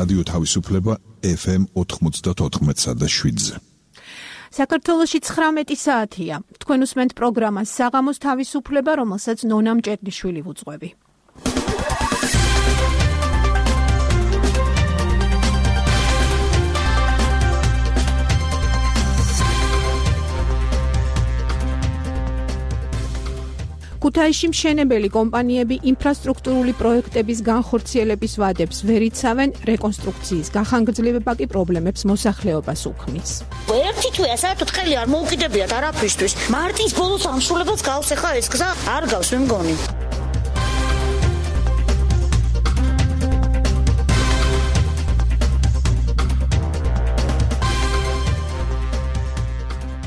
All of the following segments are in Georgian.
რადიო თავისუფლება FM 94.7-ზე. საქართველოში 19 საათია. თქვენ უსმენთ პროგრამას საღამოს თავისუფლება, რომელსაც ნონა მჭედლიშვილი ვუძღვევი. ქუთაისში მშენებელი კომპანიები ინფრასტრუქტურული პროექტების განხორციელების ვადებს ვერ იცავენ, რეკონსტრუქციის გახანგრძლივება კი პრობლემებს მოსახლეობას უქმნის. ერთი თვეა საერთოდ ხელი არ მოუკიდებიათ არაფრისთვის. მარტის ბოლოს ამსულებელს გავს ახლა ეს გზა არ გავს მე მგონი.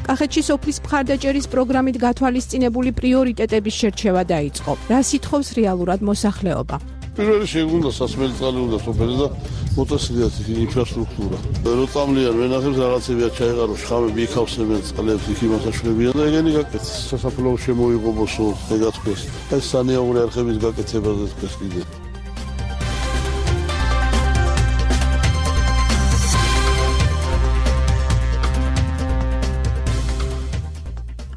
კახეთში სოფლის მხარდაჭერის პროგრამით გათვალისწინებული პრიორიტეტების შერჩევა დაიწყო. რა სითხოვს რეალურად მოსახლეობა? პირველი შეგვიძლია სასმელი წყალი უნდა სოფელი და მოწესრიგდეს ინფრასტრუქტურა. რო წამლიან ვენახებს რაღაცებია ჩაეყაროს, ხამები იქავსებენ წყლებს, იქ იმასაშლებიან და ეგენი გაკეთეს. სასაფლაო შემოიღობოსო, ეგაცქვეს. ეს სანიაური არხების გაკეთებაზე თქვეს კიდე.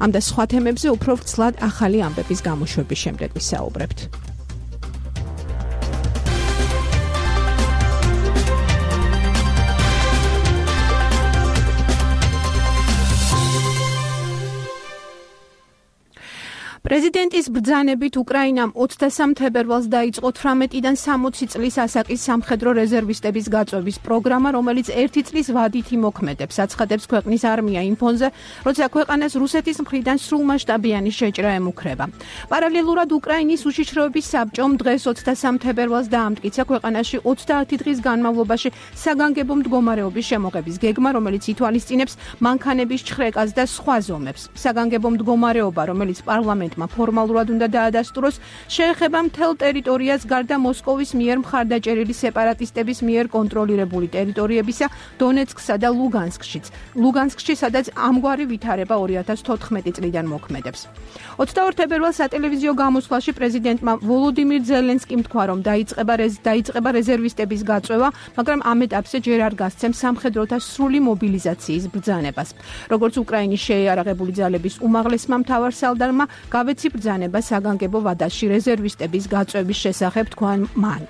ამ და სხვა თემებზე უფრო ვრცლად ახალი ამბების გამოშვების შემდეგ ვისაუბრებთ. პრეზიდენტის ბრძანებით უკრაინამ 23 თებერვალს დაიწყო 18-დან 60 წლის ასაკის სამხედრო რეზერვისტების გაწვევის პროგრამა, რომელიც 1 წლის ვადით იმოქმედებს, აცხადებს ქვეყნის არმია იმ ფონზე, როცა ქვეყანას რუსეთის მხრიდან სრულმასშტაბიანი შეჭრა ემუქრება. პარალელურად უკრაინის უშიშროების საბჭომ დღეს 23 თებერვალს დაამტკიცა ქვეყანაში 30 დღის განმავლობაში საგანგებო მდგომარეობის შემოღების გეგმა, რომელიც ითვალისწინებს მანქანების ჩხრეკას და სხვა ზომებს. საგანგებო მდგომარეობა, რომელიც პარლამენტმა ფორმალურად უნდა დაადასტუროს, შეეხება მთელ ტერიტორიას გარდა მოსკოვის მიერ მხარდაჭერილი სეპარატისტების მიერ კონტროლირებული ტერიტორიებისა დონეცკსა და ლუგანსკში, სადაც ამგვარი ვითარება 2014 წლიდან მოქმედებს. 22 თებერვალს სატელევიზიო გამოსვლაში პრეზიდენტმა ვოლოდიმირ ზელენსკიმ თქვა, რომ დაიწყება რეზერვისტების გაწვევა, მაგრამ ამ ეტაპზე ჯერ არ გასცემს სამხედროთა სრული მობილიზაციის ბრძანებას. როგორც უკრაინის შეიარაღებული ძალების უმაღლესმა მთავარსარდალმა გავეცი ბრძანება საგანგებო ვადაში რეზერვისტების გაწვევის შესახებ, თქვა მან.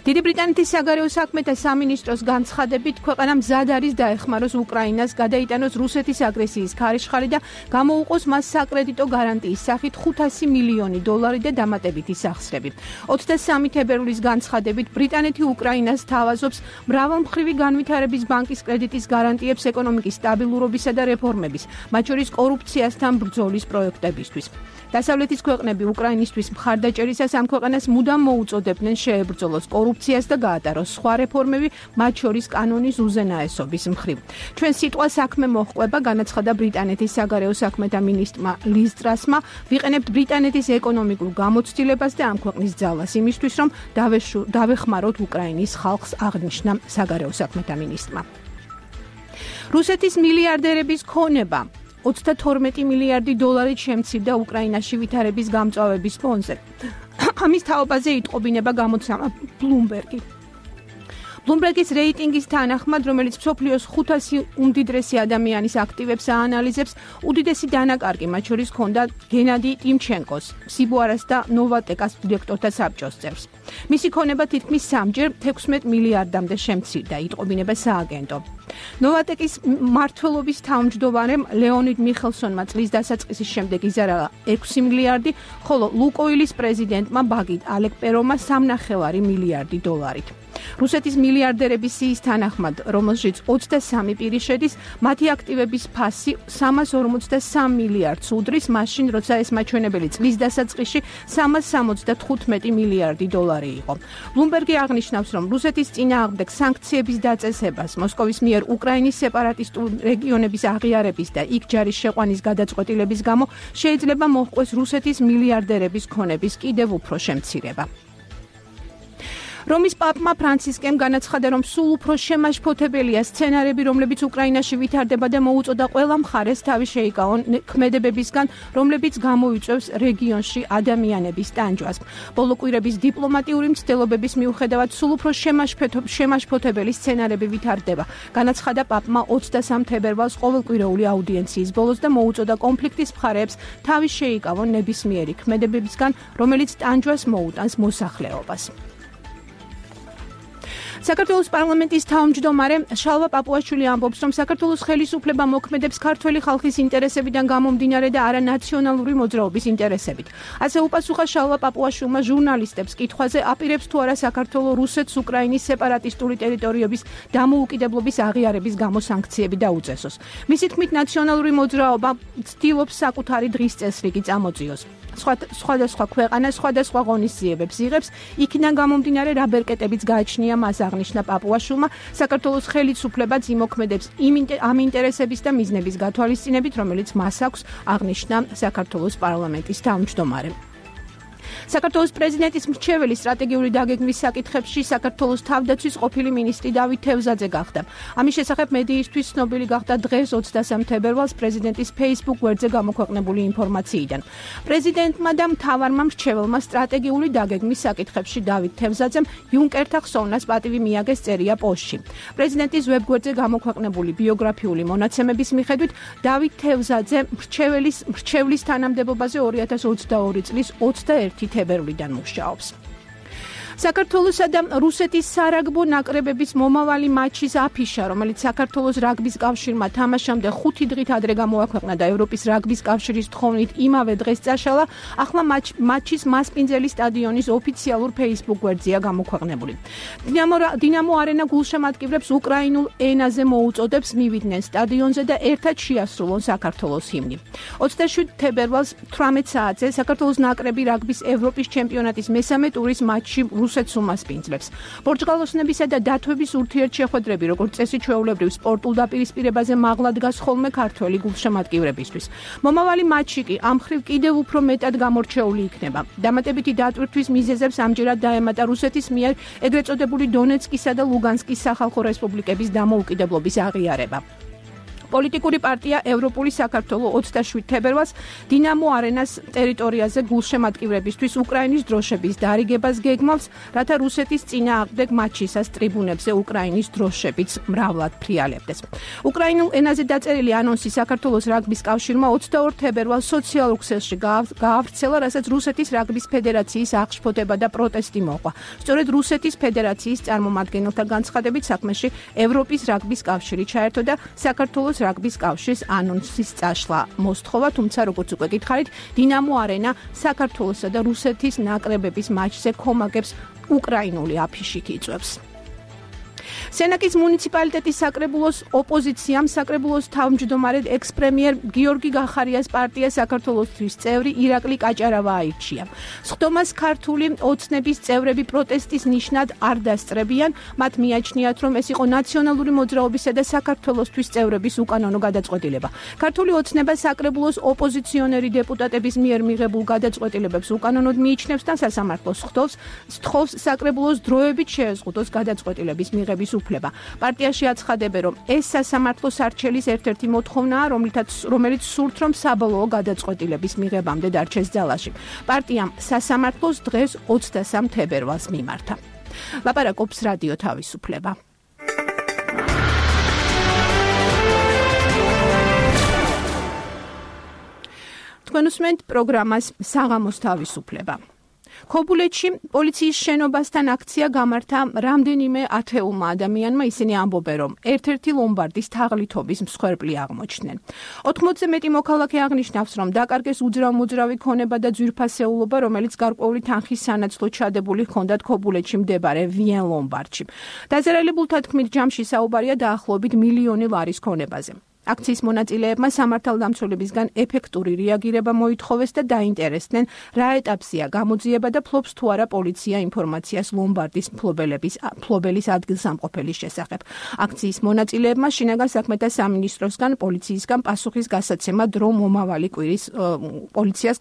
დიდი ბრიტანეთის საგარეო საქმეთა სამინისტროს განცხადებით, ქვეყანა მზად არის დაეხმაროს უკრაინას, გადაიტანოს რუსეთის აგრესიის ქარიშხალი და გამოუყოს მას საკრედიტო გარანტიის სახით $500 მილიონი და დამატებითი სახსრები. 23 თებერვლის განცხადებით, ბრიტანეთი უკრაინას თავაზობს მრავალმხრივი განვითარების ბანკის კრედიტის გარანტიებს ეკონომიკის სტაბილურობისა და რეფორმების, მათ შორის კორუფციასთან ბრძოლის პროექტებისთვის. დასავლეთის ქვეყნები უკრაინისთვის მხარდაჭერისას ამ ქვეყანას მუდამ მოუწოდებდნენ შეებრძოლოს კორუფციას და გაატაროს სხვა რეფორმები, მათ შორის კანონის უზენაესობის მხრივ. ჩვენ სიტყვა საქმე მოჰყვება, განაცხადა ბრიტანეთის საგარეო საქმეთა მინისტრმა ლიz ტრასმა, ვიყენებთ ბრიტანეთის ეკონომიკურ გამოცდილებას და ამ ქვეყნის ძალას იმისთვის, რომ დავეხმაროთ უკრაინის ხალხს, აღნიშნა საგარეო საქმეთა მინისტრმა. რუსეთის მილიარდერების ქონება $32 მილიარდი შემცირდა უკრაინაში ვითარების გამწვავების ფონზე. ამის თაობაზე იტყობინება გამოცემა ბლუმბერგი. ბლუმბერგის რეიტინგის თანახმად, რომელიც მსოფლიოს 500 უმდიდრესი ადამიანის აქტივებს აანალიზებს, უდიდესი დანაკარგი მათ შორის ჰქონდა გენადი ტიმჩენკოს, სიბუარას და ნოვატეკას დირექტორთა საბჭოს წევრს. მისი ქონება თითქმის 3-ჯერ 16 მილიარდამდე შემცირდა, იტყობინება სააგენტო. ნოვატეკის მმართველობის თავმჯდომარემ ლეონიდ მიხელსონმა წლის დასაწყისის შემდეგ იზარალა 6 მილიარდი, ხოლო ლუკოილის პრეზიდენტმა ბაგით ალეკპერომა $3.5 მილიარდი. რუსეთის მილიარდერების სიის თანახმად, რომელშიც 23 პირი შედის, მათი აქტივების ფასი 353 მილიარდს უდრის, მაშინ როცა ეს მაჩვენებელი წლის დასაწყისში 375 მილიარდი იყო. ბლუმბერგი აღნიშნავს, რომ რუსეთის წინააღმდეგ სანქციების დაწესებას, მოსკოვის მიერ უკრაინის სეპარატისტულ რეგიონების აღიარების და იქ ჯარის შეყვანის გადაწყვეტილების გამო შეიძლება მოჰყვეს რუსეთის მილიარდერების ქონების კიდევ უფრო შემცირება. რომის პაპმა ფრანცისკემ განაცხადა, რომ სულ უფრო შემაშფოთებელია სცენარები, რომლებიც უკრაინაში ვითარდება და მოუწოდა ყველა მხარეს თავი შეიკავონ ქმედებებისგან, რომლებიც გამოიწვევს რეგიონში ადამიანების ტანჯვას. ბოლო კვირების დიპლომატიური მცდელობების მიუხედავად სულ უფრო შემაშფოთებელი სცენარები ვითარდება. განაცხადა პაპმა 23 თებერვალს ყოველკვირეული აუდიენციის ბოლოს და მოუწოდა კონფლიქტის მხარეებს თავი შეიკავონ ნებისმიერი ქმედებებისგან, რომელიც ტანჯვას მოუტანს მოსახლეობას. საქართველოს პარლამენტის თავმჯდომარე შალვა პაპუაშვილი ამბობს, რომ საქართველოს ხელისუფლება მოქმედებს ქართველი ხალხის ინტერესებიდან გამომდინარე და არა ნაციონალური მოძრაობის ინტერესებით. ასე უპასუხა შალვა პაპუაშვილმა ჟურნალისტებს კითხვაზე, აპირებს თუ არა საქართველო რუსეთს უკრაინის სეპარატისტული ტერიტორიების დამოუკიდებლობის აღიარების გამო სანქციები დაუწესოს. მისი თქმით, ნაციონალური მოძრაობა ცდილობს საკუთარი დღის წესრიგი წამოწიოს. სხვადასხვა ქვეყანა სხვადასხვა ღონისძიებებს იღებს, იქიდან გამომდინარე რა ბერკეტებიც გააჩნია მას აღნიშნა პაპუაშვილმა, საქართველოს ხელისუფლებაც იმოქმედებს ამ ინტერესების და მიზნების გათვალისწინებით, რომელიც მას აქვს, აღნიშნა საქართველოს პარლამენტის თავმჯდომარემ. საქართველოს პრეზიდენტის მრჩეველი სტრატეგიული დაგეგმვის საკითხებში საქართველოს თავდაცვის ყოფილი მინისტრი დავით თევზაძე გახდა. ამის შესახებ მედიისთვის ცნობილი გახდა დღეს 23 თებერვალს პრეზიდენტის Facebook გვერდზე გამოქვეყნებული ინფორმაციიდან. პრეზიდენტმა და მთავარმა მრჩეველმა სტრატეგიული დაგეგმვის საკითხებში დავით თევზაძემ იუნკერთა ხსოვნას პატივი მიაგეს წერია პოსტში. პრეზიდენტის ვებგვერდზე გამოქვეყნებული ბიოგრაფიული მონაცემების მიხედვით დავით თევზაძე მრჩევლის თანამდებობაზე 2022 წლის 21 თებერვლიდან მუშაობს. საქართველოსა და რუსეთის სარაგბო ნაკრებების მომავალი მაჩის აფიშა, რომელიც საქართველოს რაგბის კავშირმა თამაშამდე 5 დღით ადრე გამოაქვეყნა და ევროპის რაგბის კავშირის თხოვნით იმავე დღეს წაშალა, ახლა მაჩის მასპინძელი სტადიონის ოფიციალურ Facebook გვერდზეა გამოქვეყნებული. დინამო არენა გულშემატკივრებს უკრაინულ ენაზე მოუწოდებს მივიდნენ სტადიონზე და ერთად შეასრულონ საქართველოს ჰიმნი. 27 თებერვალს 18 საათზე საქართველოს ნაკრები რაგბის ევროპის ჩემპიონატის მესამე ტურის მატჩში რუსეთს უმასპინძლებს. პორტუგალოსნებისა და დათვების ურთიერთშეხვედრები, როგორც წესი ჩვეულებრივ სპორტულ დაპირისპირებაზე მაღლა დგას ხოლმე ქართველი გულშემატკივრებისთვის. მომავალი მატჩი კი ამ მხრივ კიდევ უფრო მეტად გამორჩეული იქნება. დამატებითი დატვირთვის მიზეზებს ამჯერად დაემატა რუსეთის მიერ ეგრეთ წოდებული დონეცკისა და ლუგანსკის სახალხო რესპუბლიკების დამოუკიდებლობის აღიარება. პოლიტიკური პარტია ევროპული საქართველო 27 თებერვალს დინამო არენას ტერიტორიაზე გულშემატკივრებისთვის უკრაინის დროშების დარიგებას გეგმავს, რათა რუსეთის წინააღმდეგ მატჩისას ტრიბუნებზე უკრაინის დროშებიც მრავლად ფრიალებდეს. უკრაინულ ენაზე დაწერილი ანონსი საქართველოს რაგბის კავშირმა 22 თებერვალს სოციალურ ქსელში გაავრცელა, რასაც რუსეთის რაგბის ფედერაციის აღშფოთება და პროტესტი მოყვა. სწორედ რუსეთის ფედერაციის წარმომადგენელთა განცხადებით საქმეში ევროპის რაგბის კავშირი ჩაერთო და საქართველოს რაგბის კავშირის ანონსის წაშლა მოსთხოვა, თუმცა როგორც უკვე გითხარით, დინამო არენა საქართველოსა და რუსეთის ნაკრებების მატჩზე ქომაგებს უკრაინული აფიშით იწვევს. სენაკის მუნიციპალიტეტის საკრებულოს ოპოზიციამ საკრებულოს თავმჯდომარედ ექს-პრემიერ გიორგი გახარიას პარტია საქართველოსთვის წევრი ირაკლი კაჭარავა აირჩია. სხდომას ქართული ოცნების წევრები პროტესტის ნიშნად არ დასწრებიან, მათ მიაჩნიათ, რომ ეს იყო ნაციონალური მოძრაობისა და საქართველოსთვის წევრების უკანონო გადაწყვეტილება. ქართული ოცნება საკრებულოს ოპოზიციონერი დეპუტატების მიერ მიღებულ გადაწყვეტილებებს უკანონოდ მიიჩნევს და სასამართლოს სთხოვს საკრებულოს დროებით შეეზღუდოს გადაწყვეტილების მიღების უფლება. პარტიაში აცხადებენ, რომ ეს სასამართლოს არჩელის ერთ-ერთი მოთხოვნაა, რომელიც სურთ, რომ საბოლოო გადაწყვეტილების მიღებამდე დარჩეს ძალაში. პარტიამ სასამართლოს დღეს 23 თებერვალს მიმართა. ლაპარაკობს რადიო თავისუფლება. თქვენ უსმენთ პროგრამას საღამოს თავისუფლება. ქობულეთში პოლიციის შენობასთან აქცია გამართა რამდენიმე ათეულმა ადამიანმა, ისინი ამბობენ, რომ ერთ-ერთი ლომბარდის თაღლითობის მსხვერპლი აღმოჩნდნენ. 80-ზე მეტი მოქალაქე აღნიშნავს, რომ დაკარგეს უძრავ-მოძრავი ქონება და ძვირფასეულობა, რომელიც გარკვეული თანხის სანაცვლოდ ჩადებული ჰქონდათ ქობულეთში მდებარე ვიენ ლომბარდში. დაზარალებულთა თქმით, ჯამში საუბარია დაახლოებით 1,000,000 ლარის ქონებაზე. აქციის მონაწილეებმა სამართალდამცველებისგან ეფექტური რეაგირება მოითხოვეს და დაინტერესდნენ, რა ეტაპზეა გამოძიება და ფლობს თუ არა პოლიცია ინფორმაციას ლომბარდის მფლობელის ადგილსამყოფელის შესახებ. აქციის მონაწილეებმა შინაგან საქმეთა სამინისტროსგან პოლიციისგან პასუხის გასაცემა დრო მომავალი კვირის პოლიციას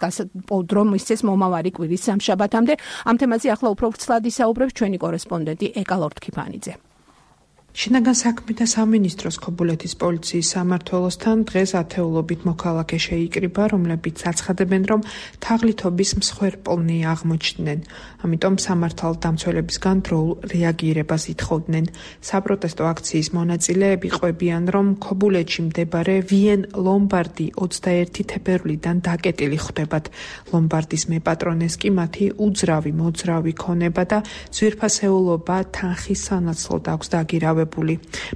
დრო მისცეს მომავალი კვირის სამშაბათამდე. ამ თემაზე ახლა უფრო ვრცლად ისაუბრებს ჩვენი კორესპონდენტი ეკა ლორთქიფანიძე. შინაგან საქმეთა სამინისტროს ქობულეთის პოლიციის სამმართველოსთან დღეს ათეულობით მოქალაქე შეიკრიბა, რომლებიც აცხადებენ, რომ თაღლითობის მსხვერპლნი აღმოჩნდნენ. ამიტომ სამართალდამცველებისგან დროულ რეაგირებას ითხოვდნენ. საპროტესტო აქციის მონაწილეები ყვებიან, რომ ქობულეთში მდებარე ვიენ ლომბარდი 21 თებერვლიდან დაკეტილი ხვდებათ. ლომბარდის მეპატრონეს კი მათი უძრავი მოძრავი ქონება და ძვირფასეულობა თანხის სანაცვლოდ აქვს დაგირავებული.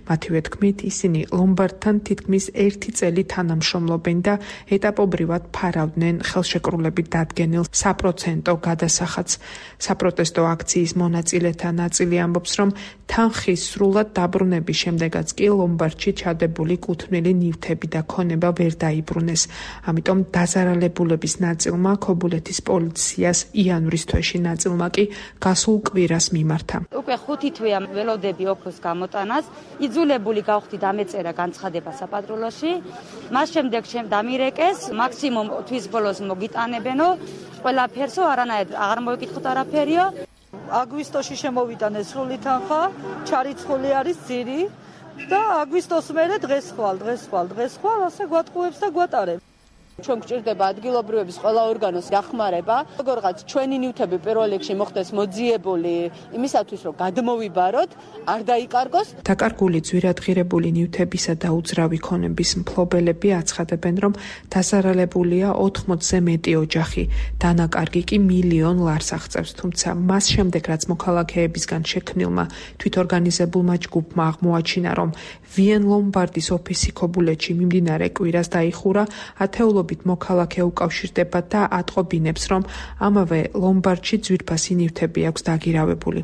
მათივე თქმით, ისინი ლომბარდთან თითქმის 1 წელი თანამშრომლობენ და ეტაპობრივად ფარავდნენ ხელშეკრულებით დადგენილ საპროცენტო გადასახადს. საპროტესტო აქციის მონაწილეთა ნაწილი ამბობს, რომ თანხის სრულად დაბრუნების შემდეგაც კი ლომბარდში ჩადებული კუთვნილი ნივთები და ქონება ვერ დაიბრუნეს. ამიტომ დაზარალებულების ნაწილმა ქობულეთის პოლიციას იანვრის თვეში ნაწილმა კი გასულ კვირას მიმართა. უკვე 5 თვეა ველოდები ოქროს გამოტანას, იძულებული გავხდი დამეწერა განცხადება საპატრულოში. მას შემდეგ დამირეკეს, მაქსიმუმ თვის ბოლოს მოგიტანებენო, ყველაფერსო არანაირ აღარ მოიკითხოთ არაფერიო. აგვისტოში შემოვიტანეს სრული თანხა, ჩარიცხული არის ძირი და აგვისტოს მერე დღეს ხვალ, ასე გვატყუებს და გვატარებს. ჩვენ გვჭირდება ადგილობრივების ყველა ორგანოს დახმარება, როგორღაც ჩვენი ნივთები პირველ რიგში მოხდეს მოძიებული იმისათვის, რომ გადმოვიბაროთ, არ დაიკარგოს. დაკარგული ძვირადღირებული ნივთებისა და უძრავი ქონების მფლობელები აცხადებენ, რომ დაზარალებულია 80-ზე მეტი ოჯახი, დანაკარგი კი 1 მილიონ ლარს აღწევს, თუმცა მას შემდეგ, რაც მოქალაქეებისგან შექმნილმა თვითორგანიზებულმა ჯგუფმა აღმოაჩინა, რომ ვიენ ლომბარდის ოფისი ქობულეთში მიმდინარე კვირას დაიხურა, ათეულობით მოქალაქე უკავშირდება და ატყობინებს, რომ ამავე ლომბარდში ძვირფასი ნივთები აქვს დაგირავებული.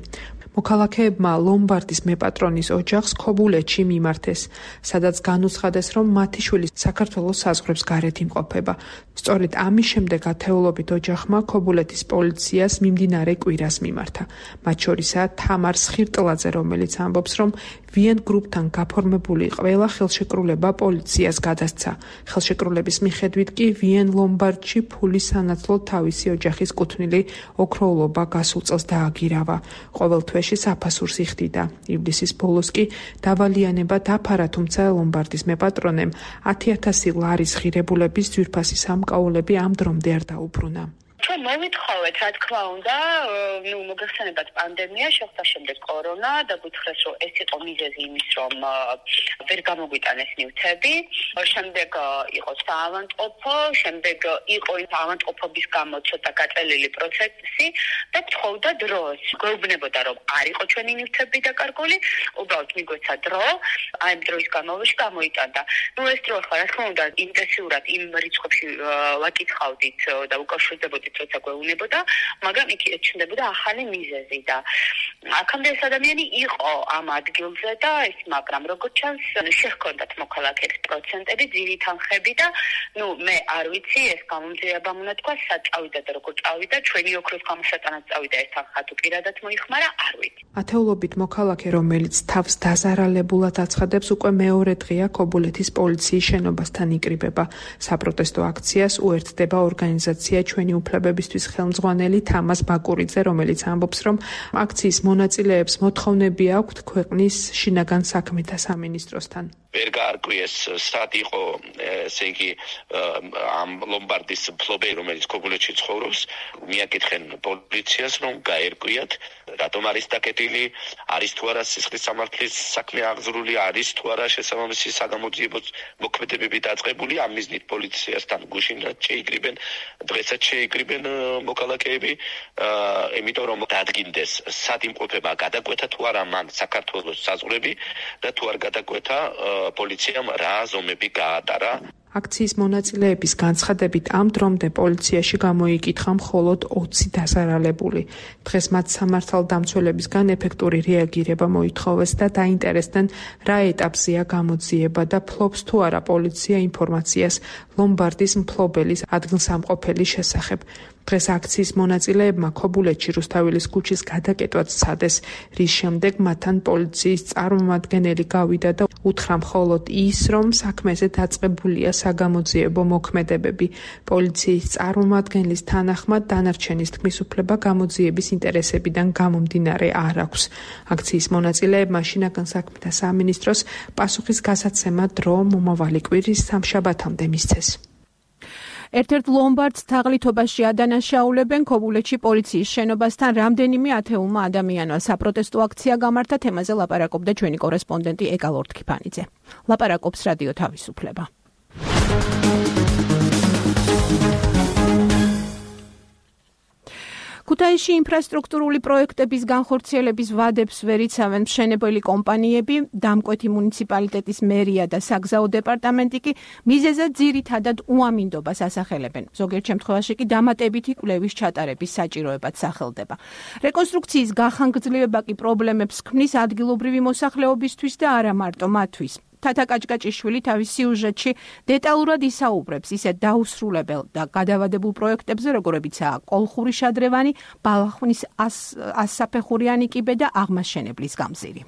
მოქალაქეებმა ლომბარდის მეპატრონის ოჯახს ქობულეთში მიმართეს, სადაც განუცხადეს, რომ მათი შვილი საქართველოს საზღვრებს გარეთ იმყოფება. სწორედ ამის შემდეგ ათეულობით ოჯახმა ქობულეთის პოლიციას მიმდინარე კვირას მიმართა. მათ შორისაა თამარ სხირტლაძე, რომელიც ამბობს, რომ ვიენ გრუპთან გაფორმებული ყველა ხელშეკრულება პოლიციას გადასცა. ხელშეკრულების მიხედვით კი ვიენ ლომბარდში ფულის სანაცვლოდ თავისი ოჯახის კუთვნილი ოქროულობა გასულ წელს დააგირავა. ყოველ თვეში საფასურს იხდიდა. ივლისის ბოლოს კი დავალიანება დაფარა, თუმცა ლომბარდის მეპატრონემ 10,000 ლარის ღირებულების ძვირფასი სამკაულები ამ დრომდე არ დაუბრუნა. ჩვენ მოვითხოვეთ, რა თქმა უნდა, მოგეხსენებათ პანდემია, შეხვდა შემდეგ კორონა და გითხრეს, რომ ეს იყო მიზეზი იმის, რომ ვერ გამოგვიტანეს ნივთები, შემდეგ იყო საავადმყოფო, შემდეგ იყო ავადმყოფობის გამო ცოტა გაწელილი პროცესი და გთხოვდა დროს. გვეუბნებოდა, რომ არ იყო ჩვენი ნივთები დაკარგული, უბრალოდ მიგვეცა დრო, აი ამ დროის განმავლობაში გამოიტანდა. ეს დრო ხარ, რა თქმა უნდა, ინტენსიურად იმ რიცხვებში ვაკითხავდით და უკავშირდებოდით როცა გვეუბნებოდა, მაგრამ იქ ჩნდებოდა ახალი მიზეზი და აქამდე ეს ადამიანი იყო ამ ადგილზე და ეს, მაგრამ როგორც ჩანს, შეჰქონდათ მოქალაქეებს პროცენტები, ძირი თანხები და მე არ ვიცი, ეს გამომძიება უნდა თქვა, სად წავიდა და როგორ წავიდა, ჩვენი ოქროს გამოსატანად წავიდა ეს თანხა თუ პირადად მოიხმარა, არ ვიცი. ათეულობით მოქალაქე, რომელიც თავს დაზარალებულად აცხადებს, უკვე მეორე დღეა ქობულეთის პოლიციის შენობასთან იკრიბება. საპროტესტო აქციას უერთდება ორგანიზაცია ჩვენი უფლებებისთვის ხელმძღვანელი თამაზ ბაკურიძე, რომელიც ამბობს, რომ აქციის მონაწილეებს მოთხოვნები აქვთ ქვეყნის შინაგან საქმეთა სამინისტროსთან. ვერ გაარკვიეს, სად იყო, ესე იგი, ამ ლომბარდის მფლობელი, რომელიც ქობულეთში ცხოვრობს, მიაკითხენ პოლიციას, რომ გაერკვიათ, რატომ არის დაკეტილი, არის თუ არა სისხლის სამართლის საქმე აღძრული, არის თუ არა შესაბამისი საგამოძიებო მოქმედებები დაწყებული, ამ მიზნით პოლიციასთან გუშინად შეიკრიბენ, დღესაც შეიკრიბენ მოქალაქეები, იმიტომ რომ დადგინდეს, სად იმყოფება, გადაკვეთა თუ არა მან საქართველოს საზღვრები და თუ არ გადაკვეთა პოლიციამ რა ზომები გაატარა. აქციის მონაწილეების განცხადებით ამ დრომდე პოლიციაში გამოიკითხა მხოლოდ 20 დასარალებული. დღეს მათ სამართალდამცველებისგან ეფექტური რეაგირება მოითხოვეს და დაინტერესდნენ რა ეტაპზეა გამოძიება და ფლობს თუ არა პოლიცია ინფორმაციას ლომბარდის მფლობელის ადგილსამყოფელის შესახებ. დღეს აქციის მონაწილეებმა ქობულეთში რუსთაველის ქუჩის გადაკეტვაც სცადეს, რის შემდეგ მათთან პოლიციის წარმომადგენელი გავიდა და უთხრა მხოლოდ ის, რომ საქმეზე დაწყებულია საგამოძიებო მოქმედებები. პოლიციის წარმომადგენლის თანახმად დანარჩენის თქმის უფლება გამოძიების ინტერესებიდან გამომდინარე არ აქვს. აქციის მონაწილეებმა შინაგან საქმეთა სამინისტროს პასუხის გასაცემა დრო მომავალი კვირის სამშაბათამდე მისცეს. ერთ-ერთ ლომბარდს თაღლითობაში ადანაშაულებენ ქობულეთში პოლიციის შენობასთან რამდენიმე ათეულმა ადამიანმა საპროტესტო აქცია გამართა. თემაზე ლაპარაკობდა ჩვენი კორესპონდენტი ეკა ლორთქიფანიძე. ლაპარაკობს რადიო თავისუფლება. ქუთაისში ინფრასტრუქტურული პროექტების განხორციელების ვადებს ვერ იცავენ მშენებელი კომპანიები, დამკვეთი მუნიციპალიტეტის მერია და საგზაო დეპარტამენტი კი მიზეზად ძირითადად უამინდობას ასახელებენ. ზოგიერთ შემთხვევაში კი დამატებითი კვლევის ჩატარების საჭიროებაც სახელდება. რეკონსტრუქციის გახანგრძლივება კი პრობლემებს ქმნის ადგილობრივი მოსახლეობისთვის და არა მარტო მათთვის. თათა კაჭკაჭიშვილი თავის სიუჟეტში დეტალურად ისაუბრებს ისეთ დაუსრულებელ და გადავადებულ პროექტებზე, როგორებიცაა კოლხური შადრევანი, ბალახვნის 100 საფეხურიანი კიბე და აღმაშენებლის გამზირი.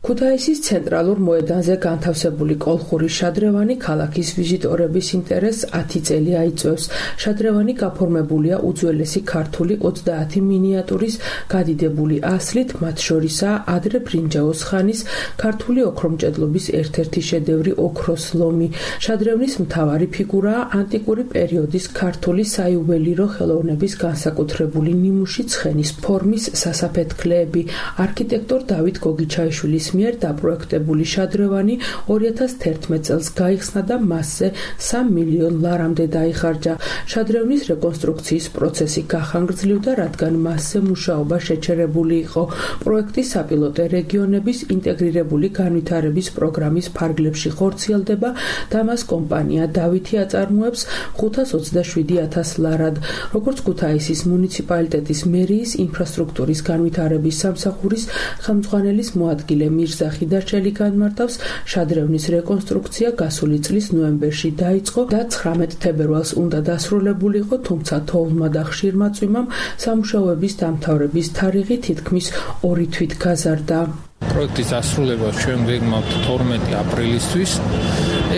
ქუთაისის ცენტრალურ მოედანზე განთავსებული კოლხური შადრევანი ქალაქის ვიზიტორების ინტერესს 10 წელი აიწვევს. შადრევანი გაფორმებულია უძველესი ქართული 30 მინიატურის გადიდებული ასლით, მათ შორისაა ადრე ბრინჯაოს ხანის ქართული ოქრომჭედლობის ერთ-ერთი შედევრი ოქროს ლომი. შადრევნის მთავარი ფიგურაა ანტიკური პერიოდის ქართული საიუველირო ხელოვნების განსაკუთრებული ნიმუში ცხენის ფორმის სასაფეთქლეები. არქიტექტორ დავით გოგიჩაიშვილის მიერ დაპროექტებული შადრევანი 2011 წელს გაიხსნა და მასზე 3 მილიონ ლარამდე დაიხარჯა. შადრევნის რეკონსტრუქციის პროცესი გახანგრძლივდა, რადგან მასზე მუშაობა შეჩერებული იყო. პროექტი საპილოტე რეგიონების ინტეგრირებული განვითარების პროგრამის ფარგლებში ხორციელდება და მას კომპანია დავითი აწარმოებს 527,000 ლარად. როგორც ქუთაისის მუნიციპალიტეტის მერიის ინფრასტრუქტურის განვითარების სამსახურის ხელმძღვანელის მოადგილე მირზა ხიდარჩელი განმარტავს, შადრევნის რეკონსტრუქცია გასული წლის ნოემბერში დაიწყო და 19 თებერვალს უნდა დასრულებულიყო, თუმცა თოვლმა და ხშირმა წვიმამ სამუშაოების დამთავრების თარიღი თითქმის 2 თვით გაზარდა. პროექტის დასრულება ჩვენ ვეგმავთ 12 აპრილისთვის.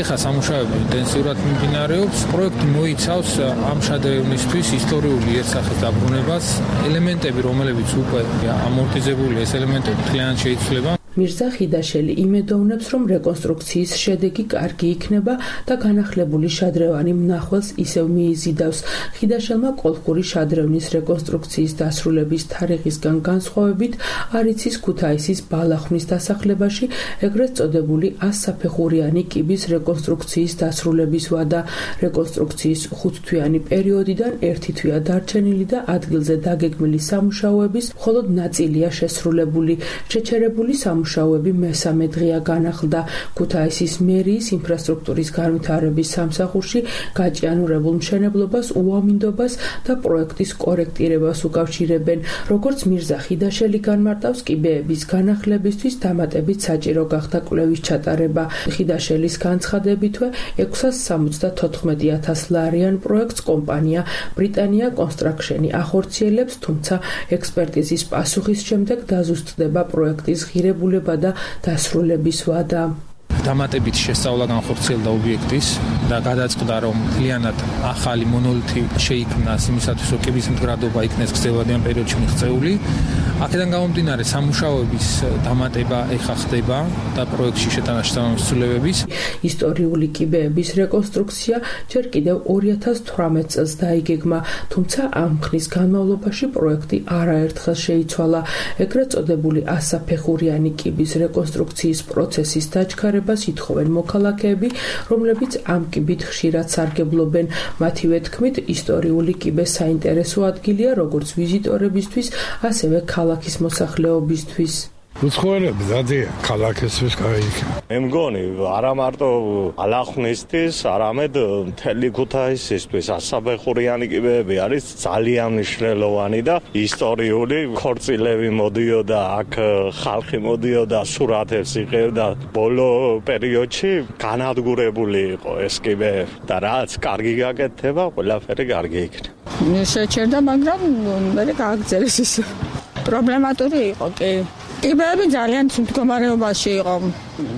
ეხლა სამუშაოები ინტენსიურად მიმდინარეობს. პროექტი მოიცავს ამ შადრევნისთვის ისტორიული იერსახის დაბრუნებას. ელემენტები, რომლებიც უკვე ამორტიზებულია, ეს ელემენტები მთლიანად შეიცვლება. მირზა ხიდაშელი იმედოვნებს, რომ რეკონსტრუქციის შედეგი კარგი იქნება და განახლებული შადრევანი მნახველს ისევ მიიზიდავს. ხიდაშელმა კოლხური შადრევნის რეკონსტრუქციის დასრულების თარიღისგან განსხვავებით არ იცის ქუთაისის ბალახვნის დასახლებაში ეგრეთ წოდებული 100 საფეხურიანი კიბის რეკონსტრუქციის დასრულების ვადა. რეკონსტრუქციის 5 თვიანი პერიოდიდან 1 თვია დარჩენილი და ადგილზე დაგეგმილი სამუშაოების მხოლოდ ნაწილია შესრულებული. შეჩერებული სამუშაოები მესამე დღეა განახლდა. ქუთაისის მერიის ინფრასტრუქტურის განვითარების სამსახურში გაჭიანურებულ მშენებლობას, უამინდობას და პროექტის კორექტირებას უკავშირებენ. როგორც მირზა ხიდაშელი განმარტავს, კიბეების განახლებისთვის დამატებით საჭირო გახდა კვლევის ჩატარება. ხიდაშელის განცხადებითვე 674,000 ლარიან პროექტს კომპანია ბრიტანია კონსტრაქშენი ახორციელებს, თუმცა ექსპერტიზის პასუხის შემდეგ დაზუსტდება პროექტის ღირებულება და დასრულების ვადა. დამატებით შესწავლა განხორციელდა ობიექტის და გადაწყდა, რომ მთლიანად ახალი მონოლითი შეიქმნას იმისათვის, რომ კიბის მდგრადობა იქნეს გრძელვადიან პერიოდში მიღწეული. აქედან გამომდინარე სამუშაოების დამატება ეხა ხდება და პროექტში შეტანა შესაბამისությունების. ისტორიული კიბეების რეკონსტრუქცია ჯერ კიდევ 2018 წელს დაიგეგმა, თუმცა ამ ხნის განმავლობაში პროექტი არაერთხელ შეიცვალა. ეგრეთ წოდებული 100 საფეხურიანი კიბის რეკონსტრუქციის პროცესის დაჩქარებას ითხოვენ მოქალაქეები, რომლებიც ამ კიბით ხშირად სარგებლობენ. მათივე თქმით, ისტორიული კიბე საინტერესო ადგილია როგორც ვიზიტორებისთვის, ასევე ქალაქის მოსახლეობისთვის. უცხოელები დადიან ქალაქისთვის გაიქნა. მე მგონი არა მარტო ალახნისთვის, არამედ მთელი ქუთაისისთვის ასაბეხურიანი კიბეები არის ძალიან მნიშვნელოვანი და ისტორიული ქორწილები მოდიოდა აქ, ხალხი მოდიოდა სურათებს იღებდა. ბოლო პერიოდში განადგურებული იყო ეს კიბეები და რაც კარგი გაკეთდება, ყველაფერი კარგი იქნება. შეჩერდა, მაგრამ მე გააგრძელეს ის. პრობლემატური იყო კი. კიბეები ძალიან მდგომარეობაში იყო.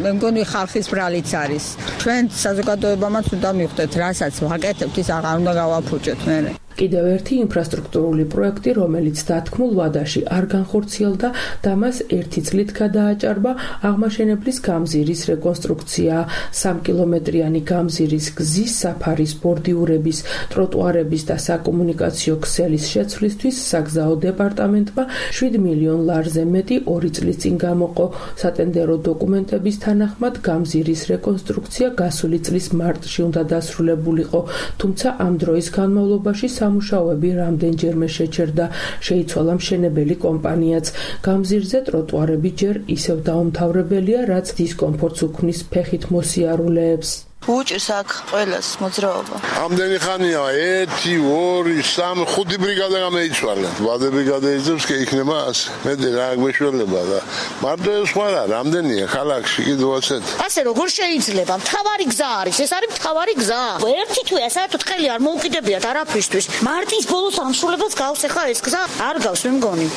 მე მგონი ხალხის ბრალიც არის. ჩვენ საზოგადოებამაც უნდა მივხვდეთ, რასაც ვაკეთებთ, ის აღარ უნდა გავაფუჭოთ მერე. კიდევ ერთი ინფრასტრუქტურული პროექტი, რომელიც დათქმულ ვადაში არ განხორციელდა და მას 1 წლით გადააჭარბა, აღმაშენებლის გამზირის რეკონსტრუქცია. 3 კილომეტრიანი გამზირის გზის, საფარის, ბორდიურების, ტროტუარების და საკომუნიკაციო ქსელის შეცვლისთვის საგზაო დეპარტამენტმა 7 მილიონ ლარზე მეტი 2 წლის წინ გამოყო. სატენდერო დოკუმენტების თანახმად გამზირის რეკონსტრუქცია გასული წლის მარტში უნდა დასრულებულიყო, თუმცა ამ დროის განმავლობაში სამუშაოები რამდენჯერმე შეჩერდა, შეიცვალა მშენებელი კომპანიაც. გამზირზე ტროტუარები ჯერ ისევ დაუმთავრებელია, რაც დისკომფორტს უქმნის ფეხით მოსიარულეებს. უჭირს აქ ყველას მოძრაობა. ამდენი ხანია 1, 2, 3, 5 ბრიგადა გამოიცვალა. ვადები გადაიძებს კი იქნება ასე. მე რა გვეშველება და მარტო ეს სხვა რა, რამდენია ქალაქში კიდევ ასეთ. ასე როგორ შეიძლება? მთავარი გზა არის, ეს არის მთავარი გზა. ერთი თუ საერთოდ ხელი არ მოუკიდებიათ არაფრისთვის. მარტის ბოლოს ამსრულებას გავს ახლა ეს გზა? არ გავს მე მგონი.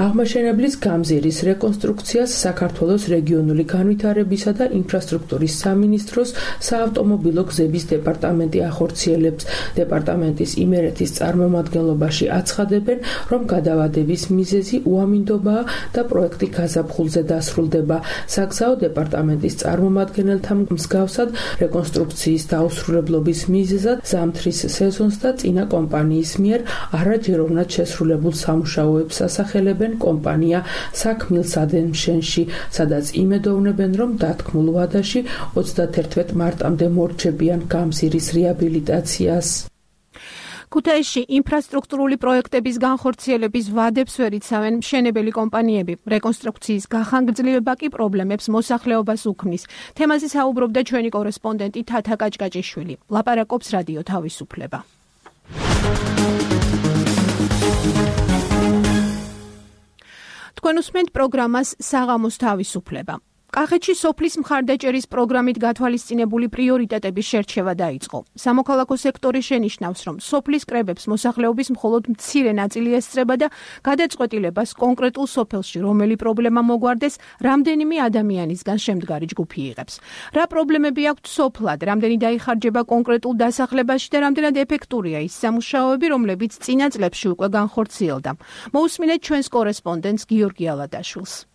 აღმაშენებლის გამზირის რეკონსტრუქციას საქართველოს რეგიონული განვითარებისა და ინფრასტრუქტურის სამინისტროს საავტომობილო გზების დეპარტამენტი ახორციელებს. დეპარტამენტის იმერეთის წარმომადგენლობაში აცხადებენ, რომ გადავადების მიზეზი უამინდობაა და პროექტი გაზაფხულზე დასრულდება. საგზაო დეპარტამენტის წარმომადგენელთა მსგავსად რეკონსტრუქციის დაუსრულებლობის მიზეზად ზამთრის სეზონს და წინა კომპანიის მიერ არაჯეროვნად შესრულებულ სამუშაოებს ასახელებენ კომპანია საქმილსადენმშენში, სადაც იმედოვნებენ, რომ დათქმულ ვადაში 31 მარტამდე მორჩებიან გამზირის რეაბილიტაციას. ქუთაისში ინფრასტრუქტურული პროექტების განხორციელების ვადებს ვერ იცავენ მშენებელი კომპანიები. რეკონსტრუქციის გახანგრძლივება კი პრობლემებს მოსახლეობას უქმნის. თემაზე საუბრობდა ჩვენი კორესპონდენტი თათა კაჭკაჭიშვილი. ლაპარაკობს რადიო თავისუფლება. თქვენ უსმენთ პროგრამას საღამოს თავისუფლება. კახეთში სოფლის მხარდაჭერის პროგრამით გათვალისწინებული პრიორიტეტების შერჩევა დაიწყო. სამოქალაქო სექტორი შენიშნავს, რომ სოფლის კრებებს მოსახლეობის მხოლოდ მცირე ნაწილი ესწრება და გადაწყვეტილებას კონკრეტულ სოფელში რომელი პრობლემა მოგვარდეს, რამდენიმე ადამიანისგან შემდგარი ჯგუფი იღებს. რა პრობლემები აქვთ სოფლად, რამდენი დაიხარჯება კონკრეტულ დასახლებაში და რამდენად ეფექტურია ის სამუშაოები, რომლებიც წინა წლებში უკვე განხორციელდა. მოусმინეთ ჩვენს კორესპონდენტს გიორგი ალადაშვილს.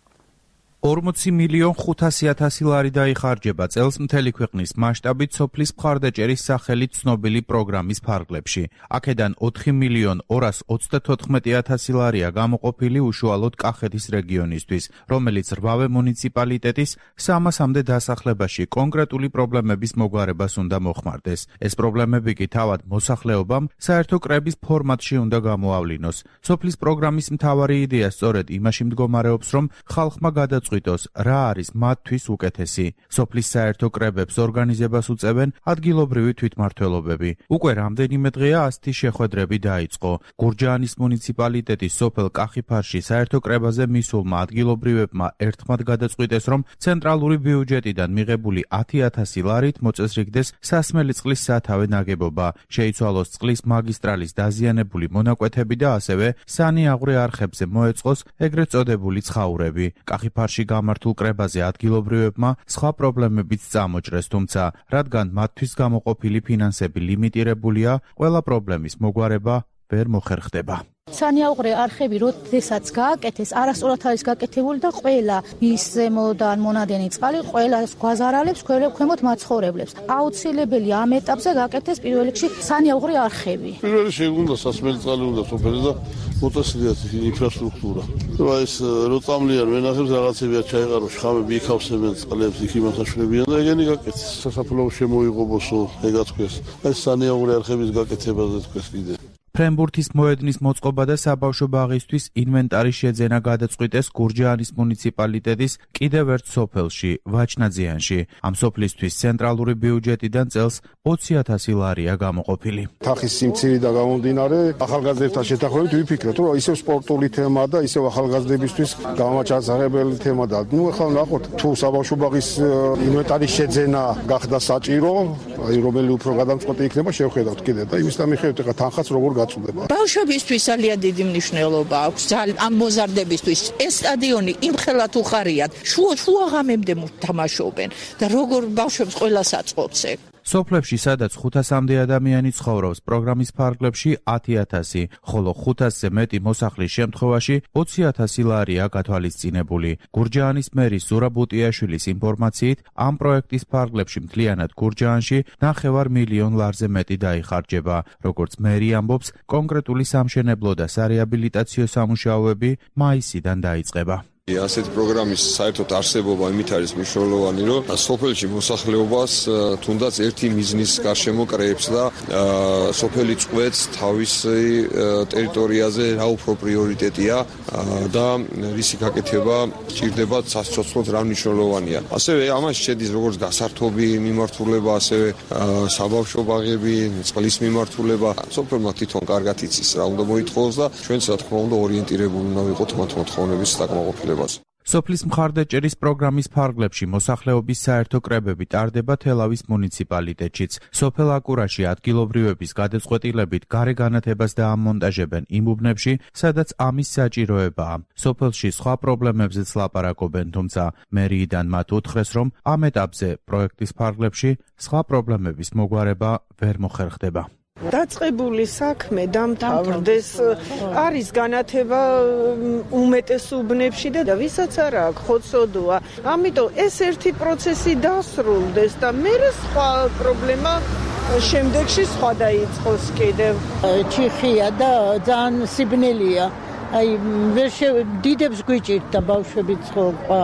40 მილიონ 500,000 ლარი დაიხარჯება წელს მთელი ქვეყნის მასშტაბით სოფლის მხარდაჭერის სახელით ცნობილი პროგრამის ფარგლებში. აქედან 4 მილიონ 234,000 ლარია გამოყოფილი უშუალოდ კახეთის რეგიონისთვის, რომელიც რვავე მუნიციპალიტეტის 300-მდე დასახლებაში კონკრეტული პრობლემების მოგვარებას უნდა მოხმარდეს. ეს პრობლემები კი თავად მოსახლეობამ საერთო კრების ფორმატში უნდა გამოავლინოს. სოფლის პროგრამის მთავარი იდეა სწორედ იმაში მდგომარეობს, რომ ხალხმა გადაწყვიტოს რა არის მათთვის უკეთესი. სოფლის საერთო კრებებს ორგანიზებას უწევენ ადგილობრივი თვითმმართველობები. უკვე რამდენიმე დღეა ასეთი შეხვედრები დაიწყო. გურჯაანის მუნიციპალიტეტის სოფელ კახიფარში საერთო კრებაზე მისულმა ადგილობრივებმა ერთხმად გადაწყვიტეს, რომ ცენტრალური ბიუჯეტიდან მიღებული 10,000 ლარით მოწესრიგდეს სასმელი წყლის სათავე ნაგებობა, შეიცვალოს წყლის მაგისტრალის დაზიანებული მონაკვეთები და ასევე სანიაღვრე არხებზე მოეწყოს ეგრეთ წოდებული ცხაურები. კახიფარში გამართულ კრებაზე ადგილობრივებმა სხვა პრობლემებიც წამოჭრეს, თუმცა რადგან მათთვის გამოყოფილი ფინანსები ლიმიტირებულია, ყველა პრობლემის მოგვარება ვერ მოხერხდება. სანიაღვრე არხები როდესაც გააკეთეს, არასწორად არის გაკეთებული და ყველა ის ზემოდან მონადენი წყალი ყველას გვაზარალებს ქვემოთ მაცხოვრებლებს. აუცილებელი ამ ეტაპზე გააკეთეს პირველ რიგში სანიაღვრე არხები. პირველ რიგში უნდა სასმელი წყალი უნდა სოფელი და მოტაცილიათ ინფრასტრუქტურა. ეს რო წამლიან ვენახებს რაღაცებია ჩაიყაროს, ხამები იქავსებენ წყლებს, იქ იმასაშვილებიან და ეგენი გაკეთეს. სასაფლაო შემოიღობოსო, ეგაც ქვეს. ეს სანიაღვრე არხების გაკეთებაზე თქვეს კიდე. ფრენბურთის მოედნის მოწყობა და საბავშვო ბაღისთვის ინვენტარის შეძენა გადაწყვიტეს გურჯაანის მუნიციპალიტეტის კიდევ ერთ სოფელში, ვაჩნაძიანში. ამ სოფლისთვის ცენტრალური ბიუჯეტიდან წელს 20,000 ლარია გამოყოფილი. თახის სიმცირიდან გამომდინარე, ახალგაზრდებთან შეთანხმებით ვიფიქრეთ, რომ ისევ სპორტული თემა და ისევ ახალგაზრდებისთვის გამაჩაღებელი თემა და ახლა ნახოთ, თუ საბავშვო ბაღის ინვენტარის შეძენა გახდა საჭირო, რომელი უფრო გადამწყვეტი იქნება, შევხედავთ კიდე და იმის მიხედვით ახლა თანხაც როგორ გაწუდება. ბავშვებისთვის ძალიან დიდი მნიშვნელობა აქვს ამ მოზარდებისთვის. ეს სტადიონი იმხელა თუ ხარიათ, შუა ღამემდე თამაშობენ და როგორ ბავშვებს ყველას აწყობს ეგ. სოფლებში, სადაც 500-მდე ადამიანი ცხოვრობს, პროგრამის ფარგლებში 10,000, ხოლო 500-ზე მეტი მოსახლის შემთხვევაში 20,000 ლარია გათვალისწინებული. გურჯაანის მერის ზურაბ ბუტიაშვილის ინფორმაციით, ამ პროექტის ფარგლებში მთლიანად გურჯაანში 9 მილიონ ლარზე მეტი დაიხარჯება. როგორც მერი ამბობს, კონკრეტული სამშენებლო და სარეაბილიტაციო სამუშაოები მაისიდან დაიწყება. ასეთი პროგრამის საერთოდ არსებობა იმით არის მნიშვნელოვანი, რომ სოფელში მოსახლეობას თუნდაც ერთი მიზნის გარშემო კრეებს და სოფელი წყვეტს თავისი ტერიტორიაზე რა უფრო პრიორიტეტია და რისი გაკეთება ჭირდება საცოცხლოდ რა მნიშვნელოვანია. ასევე ამაში შედის როგორც გასართობი მიმართულება, ასევე საბავშვო ბაღები, წყლის მიმართულება. სოფელმა თვითონ კარგად იცის რა უნდა მოითხოვოს და ჩვენც რა თქმა უნდა ორიენტირებული უნდა ვიყოთ მათ მოთხოვნების დაკმაყოფილებას. სოფლის მხარდაჭერის პროგრამის ფარგლებში მოსახლეობის საერთო კრებები ტარდება თელავის მუნიციპალიტეტშიც. სოფელ აკურაში ადგილობრივების გადაწყვეტილებით გარე განათებას დაამონტაჟებენ იმ უბნებში, სადაც ამის საჭიროებაა. სოფელში სხვა პრობლემებზეც ლაპარაკობენ, თუმცა მერიიდან მათ უთხრეს, რომ ამ ეტაპზე პროექტის ფარგლებში სხვა პრობლემების მოგვარება ვერ მოხერხდება. დაწყებული საქმე დამთავრდეს, არის განათება უმეტეს უბნებში და ვისაც არ აქვს ხოცოდოა. ამიტომ ეს ერთი პროცესი დასრულდეს და მერე სხვა პრობლემა შემდეგში სხვა დაიწყოს კიდევ. ჩიხია და ძალიან სიბნელია. აი დიდებს გვიჭირდა ბავშვები ცხოვრება.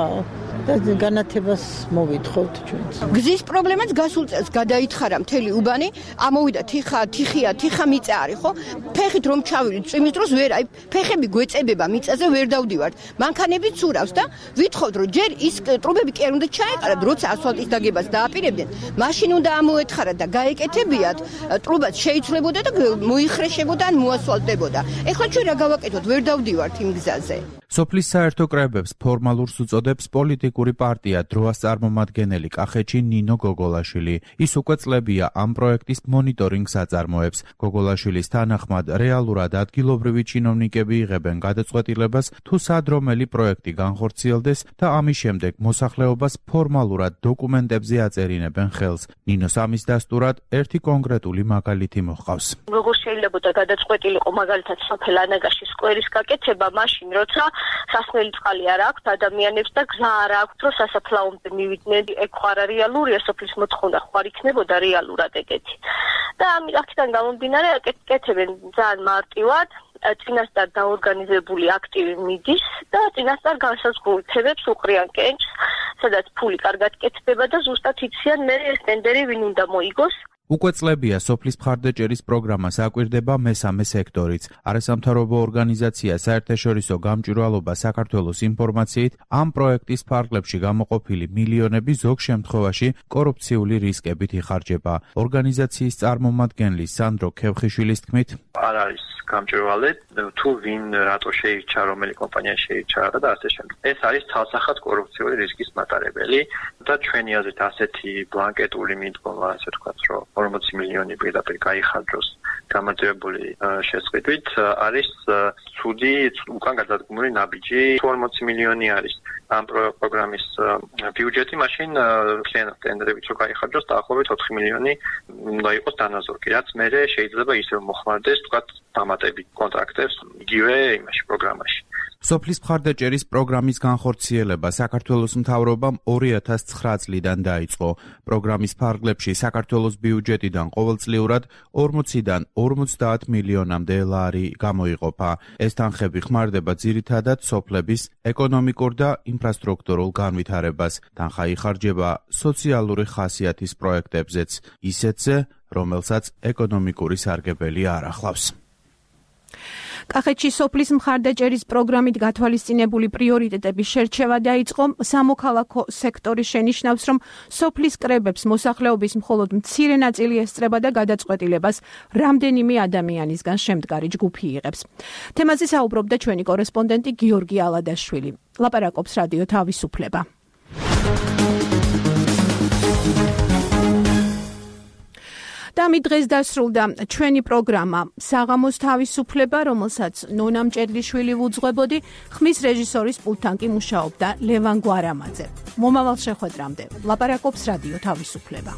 და განათებას მოვითხოვთ ჩვენც. გზის პრობლემაც გასულ წელს გადაითხარა მთელი უბანი, ამოვიდა თიხა მიწა არის, ხო? ფეხით რომ ჩავიდით წვიმის დროს ვერ, აი ფეხები გვეწებება მიწაზე ვერ დავდივართ. მანქანები ცურავს და ვითხოვთ რომ ჯერ ის ტრუბები კი არ უნდა ჩაეყარათ, როცა ასფალტის დაგებას დააპირებდნენ, მაშინ უნდა ამოეთხარათ და გაეკეთებიათ, ტრუბაც შეიცვლებოდა და მოიხრეშებოდა ან მოასფალტდებოდა. ეხლა ჩვენ რა გავაკეთოთ, ვერ დავდივართ იმ გზაზე. სოფლის საერთო კრებებს ფორმალურს უწოდებს პოლიტიკური პარტია დროას წარმომადგენელი კახეთში ნინო გოგოლაშვილი. ის უკვე წლებია ამ პროექტის მონიტორინგს აწარმოებს. გოგოლაშვილის თანახმად, რეალურად ადგილობრივი ჩინოვნიკები იღებენ გადაწყვეტილებას, თუ სად რომელი პროექტი განხორციელდეს და ამის შემდეგ მოსახლეობას ფორმალურად დოკუმენტებზე აწერინებენ ხელს. ნინოს ამის დასტურად ერთი კონკრეტული მაგალითი მოჰყავს. როგორ შეიძლება გადაწყვეტილიყო მაგალითად სოფელ ანაგაში სკვერის გაკეთება, მაშინ როცა სასმელი წყალი არ აქვს ადამიანებს და გზა არ აქვს, რომ სასაფლაომდე მივიდნენ. ეგ ხარ რეალურია, სოფლის მოთხოვნა ხარ იქნებოდა რეალურად ეგეთი. და აქედან გამომდინარე, აკეთებენ ძალიან მარტივად, წინასწარ დაორგანიზებული აქტივი მიდის და წინასწარ განსაზღვრულ თემებს უყრიან კენჭს, სადაც ფული კარგად კეთდება და ზუსტად იციან მე ეს ტენდერი ვინ უნდა მოიგოს. უკვე წლებია სოფლის მხარდაჭერის პროგრამას აკვირდება მესამე სექტორიც. არასამთავრობო ორგანიზაცია საერთაშორისო გამჭვირვალობა საქართველოს ინფორმაციით, ამ პროექტის ფარგლებში გამოყოფილი მილიონები ზოგ შემთხვევაში კორუფციული რისკებით იხარჯება. ორგანიზაციის წარმომადგენლის სანდრო ქევხიშვილის თქმით, არ არის გამჭვირვალე, თუ ვინ რატო შეირჩა, რომელი კომპანია შეირჩა და ასე შემდეგ. ეს არის ცალსახად კორუფციული რისკის მატარებელი და ჩვენი აზრით ასეთი ბლანკეტული მიდგომა, ასე ვთქვათ, რომ 40 მილიონი პირდაპირ გაიხარჯოს გამარჯვებული შესყიდვით არის ცუდი უკან გადადგმული ნაბიჯი. 40 მილიონი არის ამ პროგრამის ბიუჯეტი, მაშინ მთლიანად ტენდერებით რო გაიხარჯოს დაახლოებით 4 მილიონი უნდა იყოს დანაზორგი, რაც მერე შეიძლება ისევ მოხმარდეს თქვათ დამატებით კონტრაქტებს იგივე იმაში პროგრამაში. სოფლის მხარდაჭერის პროგრამის განხორციელება საქართველოს მთავრობამ 2009 წლიდან დაიწყო. პროგრამის ფარგლებში საქართველოს ბიუჯეტიდან ყოველწლიურად 40-დან 50 მილიონამდე ლარი გამოიყოფა. ეს თანხები ხმარდება ძირითადად სოფლების ეკონომიკურ და ინფრასტრუქტურულ განვითარებას. თანხა იხარჯება სოციალური ხასიათის პროექტებზეც, ისეთზე, რომელსაც ეკონომიკური სარგებელი არ ახლავს. კახეთში სოფლის მხარდაჭერის პროგრამით გათვალისწინებული პრიორიტეტების შერჩევა დაიწყო. სამოქალაქო სექტორი შენიშნავს, რომ სოფლის კრებებს მოსახლეობის მხოლოდ მცირე ნაწილი ესწრება და გადაწყვეტილებას რამდენიმე ადამიანისგან შემდგარი ჯგუფი იღებს. თემაზე საუბრობდა ჩვენი კორესპონდენტი გიორგი ალადაშვილი. ლაპარაკობს რადიო თავისუფლება. და მით დღეს დასრულდა ჩვენი პროგრამა საღამოს თავისუფლება, რომელსაც ნონა მჭედლიშვილი ვუძღვებოდი, ხმის რეჟისორის პულტთან კი მუშაობდა ლევან გვარამაძე. მომავალ შეხვედრამდე ლაპარაკობს რადიო თავისუფლება.